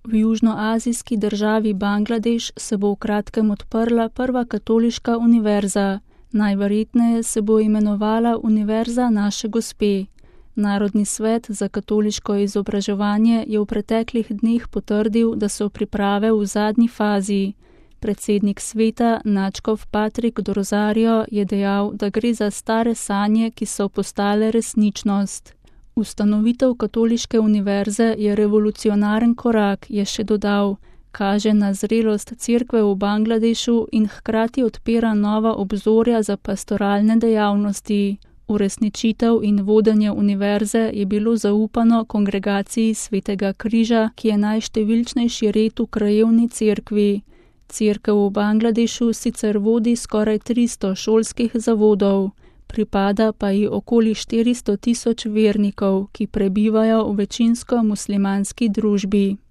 V južnoazijski državi Bangladeš se bo v kratkem odprla prva katoliška univerza. Najverjetneje se bo imenovala Univerza Naše Gospe. Narodni svet za katoliško izobraževanje je v preteklih dneh potrdil, da so priprave v zadnji fazi. Predsednik sveta nadškof Patrik Dorzario je dejal, da gre za stare sanje, ki so postale resničnost. Ustanovitev katoliške univerze je revolucionaren korak, je še dodal, kaže na zrelost cerkve v Bangladešu in hkrati odpira nova obzorja za pastoralne dejavnosti. Uresničitev in vodenje univerze je bilo zaupano kongregaciji Svetega križa, ki je najštevilčnejši red v krajevni cerkvi. Cerkev v Bangladešu sicer vodi skoraj 300 šolskih zavodov, pripada pa ji okoli 400 tisoč vernikov, ki prebivajo v večinsko muslimanski družbi.